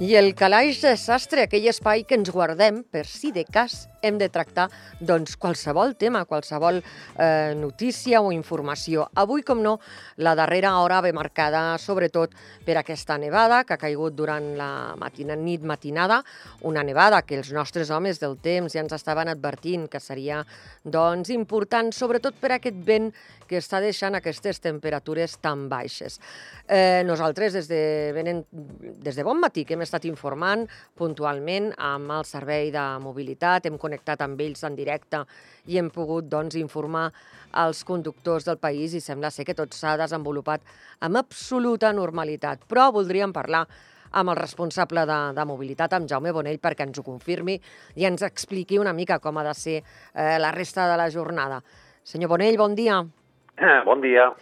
I el calaix de sastre, aquell espai que ens guardem per si de cas hem de tractar qualsevol tema, qualsevol notícia o informació. Avui, com no, la darrera hora ve marcada sobretot per aquesta nevada que ha caigut durant la nit matinada, una nevada que els nostres homes del temps ja ens estaven advertint que seria important, sobretot per aquest vent que està deixant aquestes temperatures tan baixes. Nosaltres, des de bon matí, que hem estat informant puntualment amb el servei de mobilitat, hem connectat amb ells en directe i hem pogut informar als conductors del país i sembla ser que tot s'ha desenvolupat amb absoluta normalitat. Però voldríem parlar amb el responsable de mobilitat, amb Jaume Bonell, perquè ens ho confirmi i ens expliqui una mica com ha de ser la resta de la jornada. Senyor Bonell, bon dia. Bon dia.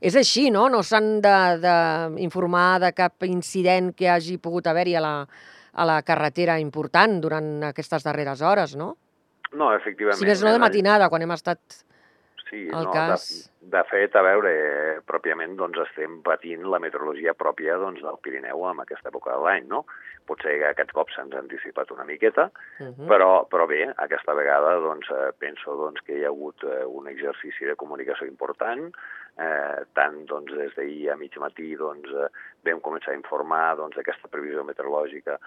És així, no? No s'han d'informar de cap incident que hagi pogut haver-hi a la carretera important durant aquestes darreres hores, no? No, efectivament. Si més no de matinada, quan hem estat al cas. De fet, a veure, pròpiament estem patint la meteorologia pròpia del Pirineu en aquesta època de l'any, no? Potser que aquest cop s'han anticipat una miqueta, però bé, aquesta vegada penso que hi ha hagut un exercici de comunicació important, tant des d'ahir a mig matí vam començar a informar d'aquesta previsió meteorològica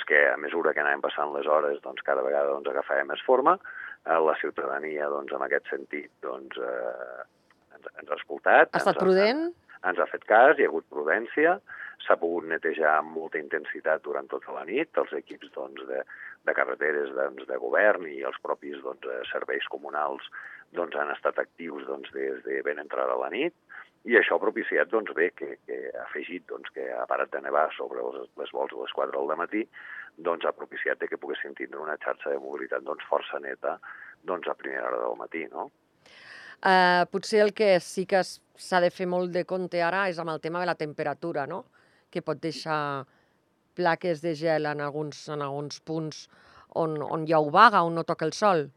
que a mesura que anàvem passant les hores cada vegada agafava més forma. La ciutadania en aquest sentit ens ha escoltat. Ha estat prudent? Ens ha fet cas, hi ha hagut prudència, s'ha pogut netejar amb molta intensitat durant tota la nit, els equips de carreteres de govern i els propis serveis comunals han estat actius des de ben entrada a la nit, i això ha propiciat que ha afegit que ha parat de nevar sobre les vols de les 4 del matí, ha propiciat que poguessin tindre una xarxa de mobilitat força neta a primera hora del matí, no? Potser el que sí que s'ha de fer molt de compte ara és amb el tema de la temperatura, no? Que pot deixar plaques de gel en alguns punts on hi ha obaga, on no toca el sol.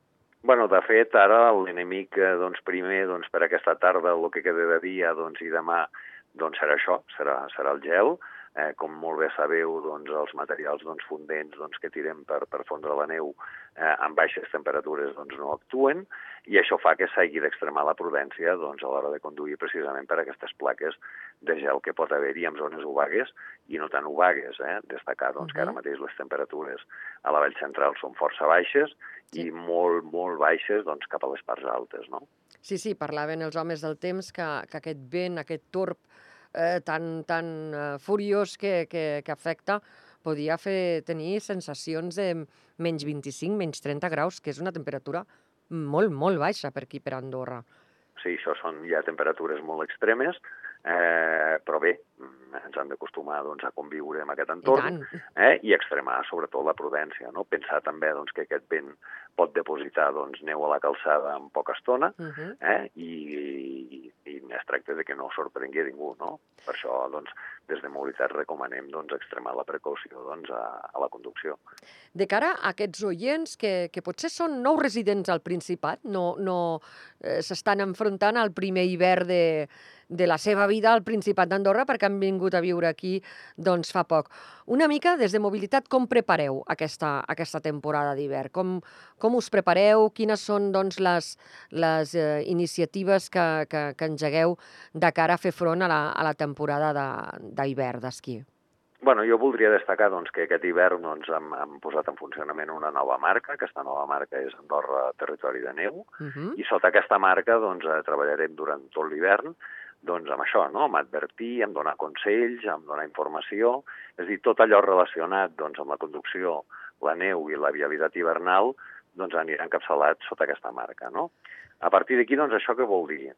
Bueno, de fet, ara l'enemic primer per aquesta tarda, el que queda de dia i demà, serà això, serà el gel. Com molt bé sabeu, els materials fondents que tirem per fondre la neu amb baixes temperatures no actuen, i això fa que s'hagi d'extremar la prudència a l'hora de conduir precisament per aquestes plaques de gel que pot haver-hi en zones obagues i no tan obagues. Destacar que ara mateix les temperatures a la vall central són força baixes i molt, molt baixes cap a les parts altes, no? Sí, parlaven els homes del temps que aquest vent, aquest torb tan furiós que afecta podia tenir sensacions de menys 25, menys 30 graus, que és una temperatura molt, molt baixa per aquí, per Andorra. Sí, això són ja temperatures molt extremes, però bé, ens hem d'acostumar a conviure amb aquest entorn i extremar sobretot la prudència, no? Pensar també que aquest vent pot depositar neu a la calçada en poca estona i es tracta que no sorprengui ningú, no? Per això, des de mobilitat recomanem extremar la precaució a la conducció. De cara a aquests oients que potser són nous residents al Principat, no s'estan enfrontant al primer hivern de la seva vida al Principat d'Andorra perquè han vingut a viure aquí fa poc. Una mica, des de mobilitat, com prepareu aquesta temporada d'hivern? Com us prepareu? Quines són les iniciatives que engegueu de cara a fer front a la temporada d'hivern d'esquí? Bueno, jo voldria destacar que aquest hivern hem posat en funcionament una nova marca. Aquesta nova marca és Andorra Territori de Neu, i sota aquesta marca treballarem durant tot l'hivern amb això, no? Amb advertir, amb donar consells, amb donar informació, és a dir, tot allò relacionat amb la conducció, la neu i la vialitat hivernal anirà encapçalat sota aquesta marca, no? A partir d'aquí, això què vol dir?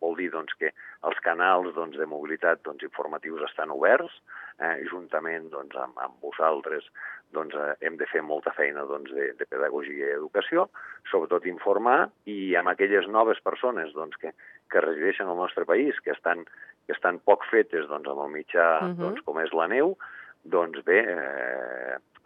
Vol dir que els canals de mobilitat informatius estan oberts, juntament amb vosaltres hem de fer molta feina de pedagogia i educació, sobretot informar, i amb aquelles noves persones que resideixen al nostre país, que estan poc fetes amb el mitjà com és la neu, bé,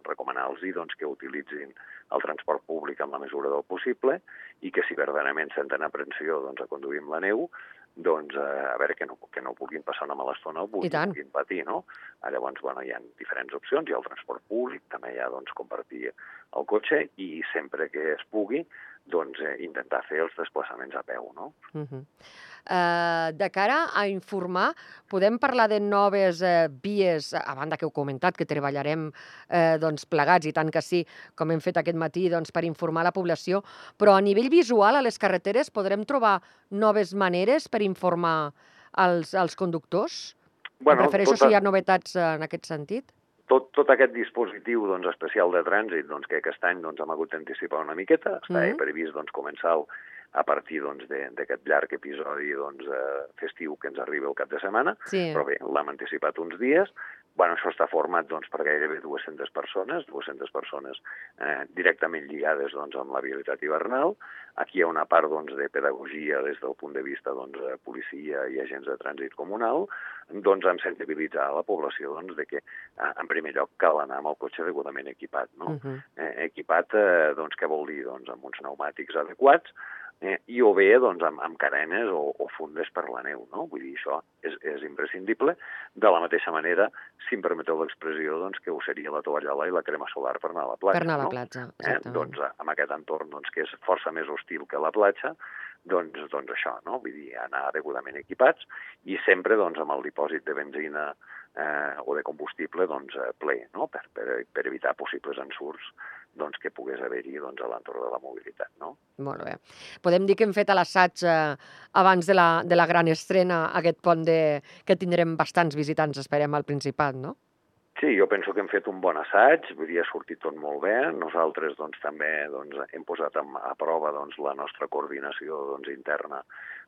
recomanar-los que utilitzin el transport públic en la mesura del possible i que si verdaderament senten aprensió a conduir amb la neu, doncs a veure que no puguin passar una mala estona o puguin patir, no? Llavors, bueno, hi ha diferents opcions, hi ha el transport públic, també hi ha doncs, compartir el cotxe i sempre que es pugui doncs intentar fer els desplaçaments a peu, no? De cara a informar, podem parlar de noves vies, a banda que heu comentat, que treballarem doncs, plegats, i tant que sí, com hem fet aquest matí, doncs, per informar la població, però a nivell visual a les carreteres podrem trobar noves maneres per informar els conductors? Em refereixo si hi ha novetats en aquest sentit. Tot aquest dispositiu doncs, especial de trànsit doncs, que aquest any doncs, hem hagut d'anticipar una miqueta, està previst doncs, començar a partir doncs, d'aquest llarg episodi doncs, festiu que ens arriba el cap de setmana, però bé, l'hem anticipat uns dies. Bueno, això està format doncs, per gairebé 200 persones directament lligades doncs, amb la vialitat hivernal. Aquí hi ha una part doncs, de pedagogia des del punt de vista doncs, policia i agents de trànsit comunal, doncs hem sensibilitzat a la població doncs, de que, en primer lloc, cal anar amb el cotxe degudament equipat. No? Equipat, doncs, què vol dir? Doncs amb uns pneumàtics adequats, i o bé doncs, amb cadenes o fundes per la neu. No? Vull dir, això és imprescindible. De la mateixa manera, si em permeteu l'expressió, doncs, que ho seria la tovallola i la crema solar per anar a la platja. Per anar a la platja, exactament. Doncs, amb aquest entorn doncs, que és força més hostil que la platja, doncs això, no? Vull dir, anar degudament equipats i sempre doncs, amb el dipòsit de benzina o de combustible doncs, ple, no? per evitar possibles ensurts doncs, que pogués haver-hi doncs, a l'entorn de la mobilitat. No? Molt bé. Podem dir que hem fet l'assaig abans de la gran estrena, aquest pont que tindrem bastants visitants, esperem, al Principat, no? Sí, jo penso que hem fet un bon assaig, vull dir, ha sortit tot molt bé. Nosaltres doncs, també doncs, hem posat a prova doncs, la nostra coordinació doncs, interna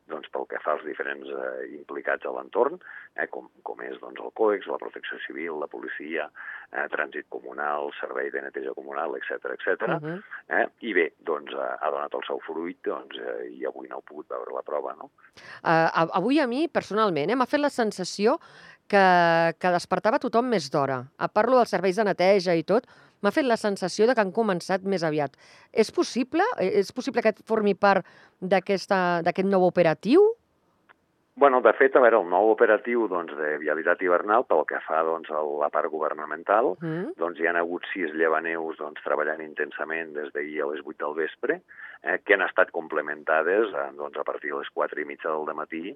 doncs, pel que fa als diferents implicats a l'entorn, com és doncs, el COEX, la Protecció Civil, la policia, trànsit comunal, servei de neteja comunal, etc. I bé, doncs, ha donat el seu fruit doncs, i avui no heu pogut veure la prova. No? Avui a mi, personalment, m'ha fet la sensació que despertava tothom més d'hora. Parlo dels serveis de neteja i tot, m'ha fet la sensació que han començat més aviat. És possible? És possible que formi part d'aquest nou operatiu? Bueno, de fet, a veure, el nou operatiu doncs, de vialitat hivernal, pel que fa doncs, a la part governamental, doncs, hi ha hagut 6 llevaneus doncs, treballant intensament des d'ahir a les 8 del vespre, que han estat complementades doncs, a partir de les 4:30 del dematí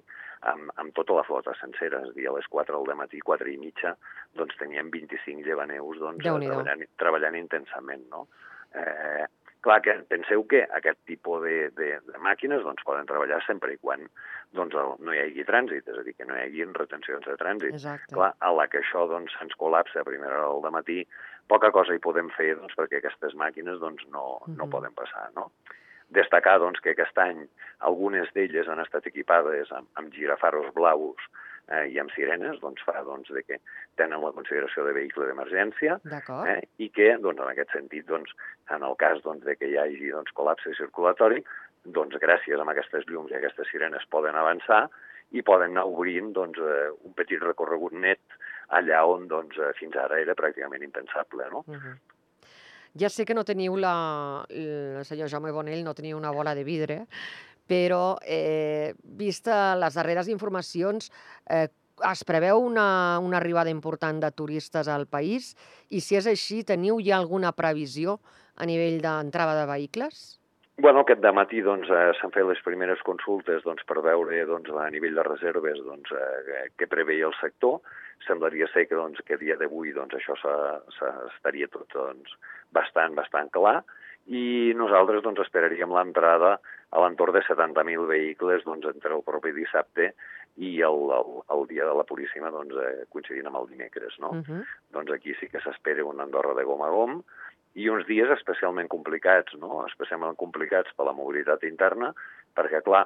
amb tota la flota sencera. És a dir, a les 4 del dematí, 4:30, doncs, teníem 25 llevaneus doncs, treballant intensament. No? Clar, que penseu que aquest tipus de màquines doncs, poden treballar sempre i quan doncs, no hi hagi trànsit, és a dir, que no hi hagi retencions de trànsit. Exacte. Clar, a la que això doncs, se'ns col·lapsa a primera hora del matí, poca cosa hi podem fer doncs, perquè aquestes màquines doncs, no poden passar. No? Destacar doncs, que aquest any algunes d'elles han estat equipades amb girafaros blaus i amb sirenes, doncs fa doncs, de que tenen la consideració de vehicle d'emergència i que, doncs, en aquest sentit, doncs, en el cas doncs, de que hi hagi doncs, col·lapse circulatori, doncs, gràcies a aquestes llums i aquestes sirenes poden avançar i poden anar obrint doncs, un petit recorregut net allà on doncs, fins ara era pràcticament impensable. No? Ja sé que no teniu el senyor Jaume Bonell no teniu una bola de vidre, però, vista les darreres informacions, es preveu una arribada important de turistes al país i, si és així, teniu ja alguna previsió a nivell d'entrada de vehicles? Bueno, aquest dematí doncs, s'han fet les primeres consultes doncs, per veure doncs, a nivell de reserves doncs, què preveia el sector. Semblaria ser que, doncs, que a dia d'avui doncs, això estaria tot doncs, bastant clar i nosaltres doncs, esperaríem l'entrada a l'entorn de 70.000 vehicles doncs, entre el propi dissabte i el dia de la Puríssima doncs, coincidint amb el dimecres. No? Doncs aquí sí que s'espera una Andorra de gom a gom i uns dies especialment complicats, no? Especialment complicats per la mobilitat interna, perquè, clar,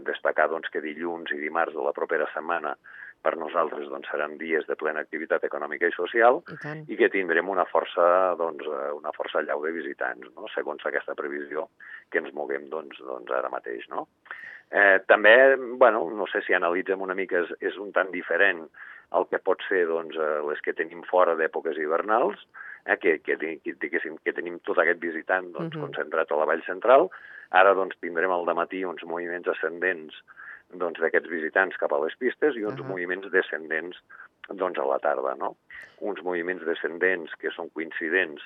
destacar doncs, que dilluns i dimarts de la propera setmana per nosaltres doncs, seran dies de plena activitat econòmica i social i que tindrem una força allau de visitants, no? Segons aquesta previsió que ens moguem doncs, ara mateix. No? També, bueno, no sé si analitzem una mica, és un tant diferent el que pot ser doncs, les que tenim fora d'èpoques hivernals, que tenim tot aquest visitant doncs, concentrat a la vall central. Ara doncs, tindrem al dematí uns moviments ascendents d'aquests visitants cap a les pistes i uns moviments descendents a la tarda, no? Uns moviments descendents que són coincidents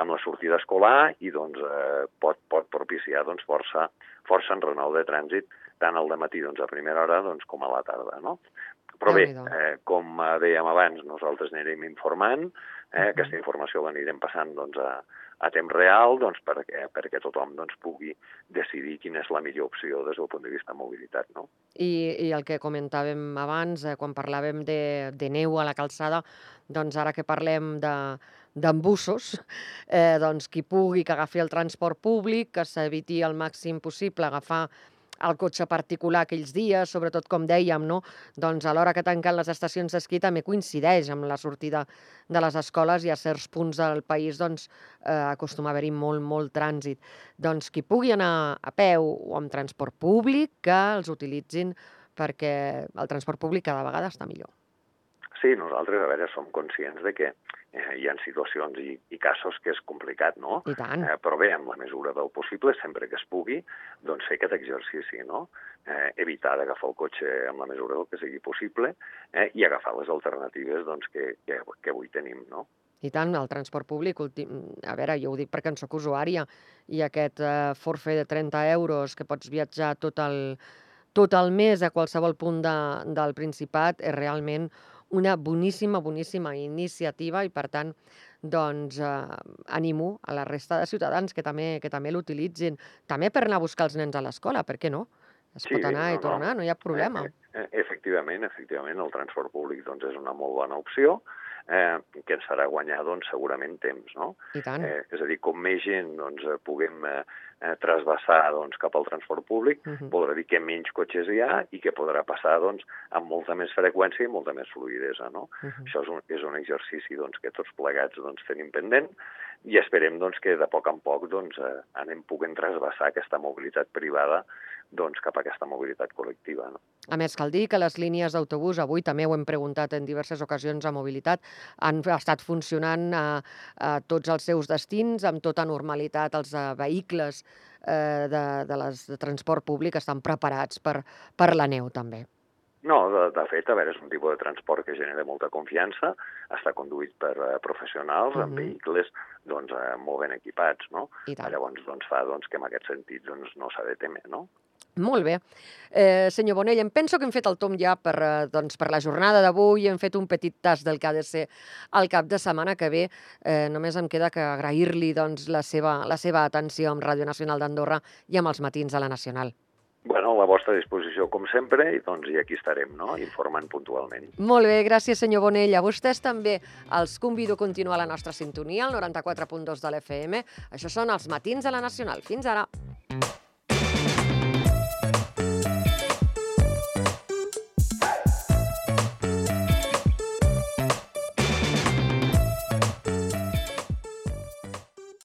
amb la sortida escolar i pot propiciar força enrenou de trànsit tant al dematí a primera hora com a la tarda, no? Però bé, com dèiem abans, nosaltres anirem informant, aquesta informació l'anirem passant a temps real perquè tothom pugui decidir quina és la millor opció des del punt de vista de mobilitat, no? I el que comentàvem abans, quan parlàvem de neu a la calçada, ara que parlem d'embussos, qui pugui que agafi el transport públic, que s'eviti al màxim possible agafar el cotxe particular aquells dies, sobretot, com dèiem, no? A l'hora que tanquen les estacions d'esquí també coincideix amb la sortida de les escoles i a certs punts del país acostuma a haver-hi molt trànsit. Qui pugui anar a peu o amb transport públic, que els utilitzin perquè el transport públic cada vegada està millor. Sí, nosaltres, a veure, som conscients de que hi ha situacions i casos que és complicat, no? I tant. Però bé, en la mesura del possible, sempre que es pugui, fer aquest exercici, no? Evitar d'agafar el cotxe en la mesura del que sigui possible i agafar les alternatives que avui tenim, no? I tant, el transport públic, a veure, jo ho dic perquè en soc usuària, i aquest forfait de 30 euros que pots viatjar tot el mes a qualsevol punt del Principat és realment una boníssima iniciativa i, per tant, animo a la resta de ciutadans que també l'utilitzin. També per anar a buscar els nens a l'escola, per què no? Es pot anar i tornar, no hi ha problema. Efectivament, el transport públic és una molt bona opció que ens farà guanyar segurament temps, no? I tant. És a dir, com més gent puguem trasbassar cap al transport públic, voldrà dir que menys cotxes hi ha i que podrà passar amb molta més freqüència i molta més fluïdesa, no? Això és un exercici que tots plegats tenim pendent i esperem que de poc en poc anem poguent trasbassar aquesta mobilitat privada cap a aquesta mobilitat col·lectiva, no? A més, cal dir que les línies d'autobús, avui també ho hem preguntat en diverses ocasions a Mobilitat, han estat funcionant a tots els seus destins, amb tota normalitat. Els vehicles de transport públic estan preparats per la neu, també. No, de fet, a veure, és un tipus de transport que genera molta confiança, està conduït per professionals amb vehicles molt ben equipats, no? Llavors fa que en aquest sentit no s'ha de temer, no? Molt bé. Senyor Bonell, em penso que hem fet el tomb ja per la jornada d'avui, hem fet un petit tas del que ha de ser el cap de setmana que ve. Només em queda que agrair-li la seva atenció amb Ràdio Nacional d'Andorra i amb els matins de la Nacional. Bueno, a la vostra disposició, com sempre, i aquí estarem, no?, informant puntualment. Molt bé, gràcies, senyor Bonell. A vostès també els convido a continuar la nostra sintonia, al 94.2 de l'FM. Això són els matins de la Nacional. Fins ara.